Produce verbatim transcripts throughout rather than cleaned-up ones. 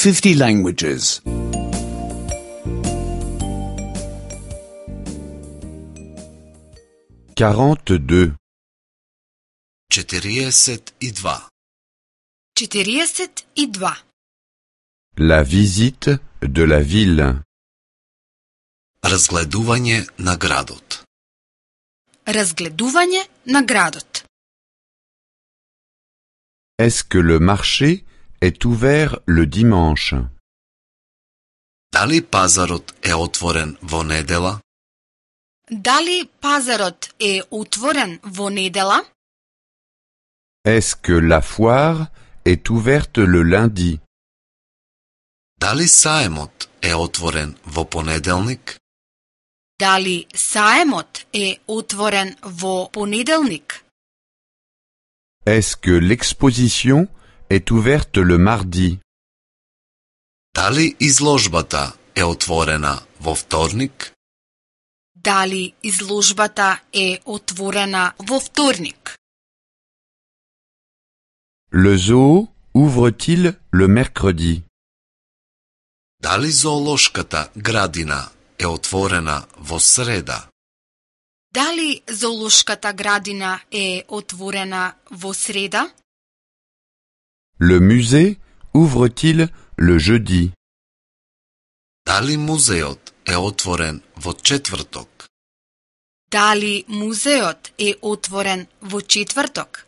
fifty languages. quarante-deux. четириесет и два. четириесет и два. La visite de la ville. Разгледување на градот. Разгледување на градот. Est-ce que le marché est ouvert le dimanche? Дали пазарот е отворен во недела? Дали пазарот е отворен во недела? Est-ce que la foire est ouverte le lundi? Дали саемот е отворен во понеделник? Дали саемот е отворен во понеделник? Est-ce que l'exposition est ouverte le mardi? Дали изложбата е отворена во вторник? Дали изложбата е отворена во вторник? Le zoo ouvre-t-il le mercredi? Дали зоолошката градина е отворена во среда? Дали зоолошката градина е отворена во среда? Le musée ouvre-t-il le jeudi? Дали музеот е отворен во четврток? Дали музеот е отворен во четврток?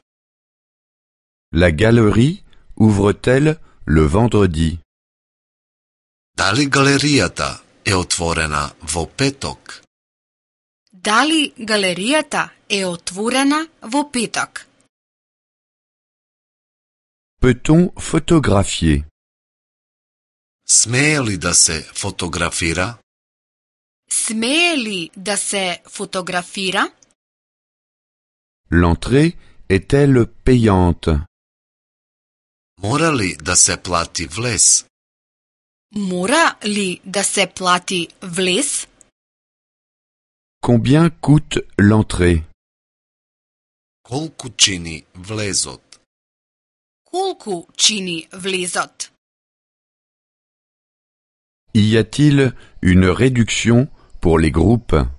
La galerie ouvre-t-elle le vendredi? Дали галеријата е отворена во петок? Дали галеријата е отворена во петок? Peut-on photographier? Смее ли да се фотографира? Смее ли да се фотографира? L'entrée est-elle payante? Мора ли да се плати влез? Мора ли да се плати влез? Combien coûte l'entrée? Колку чини влезот? Колку чини влезот? Y a-t-il une réduction pour les groupes?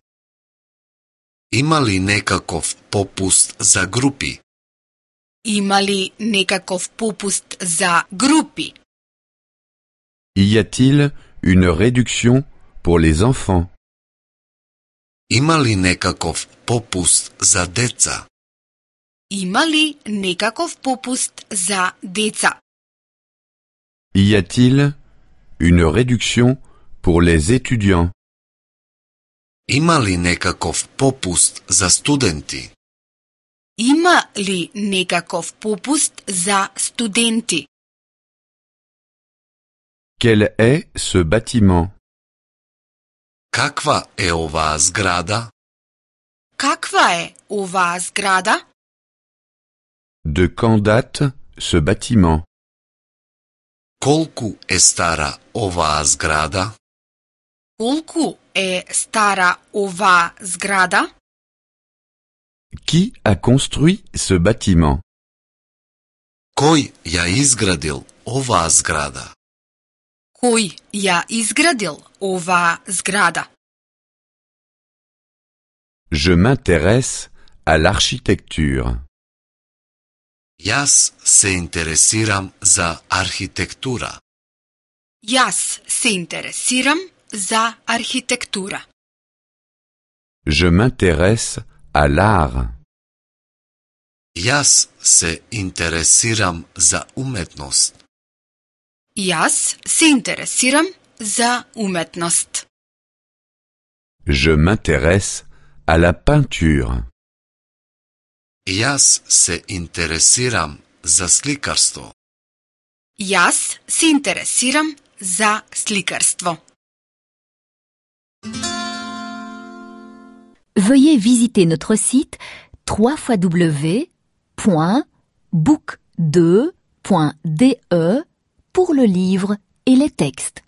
Има ли некаков попуст за групи? Има ли некаков попуст за групи? Y a-t-il une réduction pour les enfants? Има ли некаков попуст за деца? Има ли некаков попуст за деца? Y a-t-il une réduction pour les étudiants? Има ли некаков попуст за студенти? Има ли некаков попуст за студенти? Quel est ce bâtiment? Каква е оваа зграда? Каква е оваа зграда? De quand date ce bâtiment? Колку е стара оваа зграда? Колку е стара оваа зграда? Qui a construit ce bâtiment? Кој ја изградил оваа зграда? Кој ја изградил оваа зграда? Je m'intéresse à l'architecture. Јас се интересирам за архитектура. Јас се интересирам за архитектура. Je m'intéresse à l'art. Јас се интересирам за уметност. Јас се интересирам за уметност. Je m'intéresse à la peinture. Јас се интересирам за сликарство. Јас се интересирам за сликарство. Veuillez visiter notre site w w w point book deux point d e pour le livre et les textes.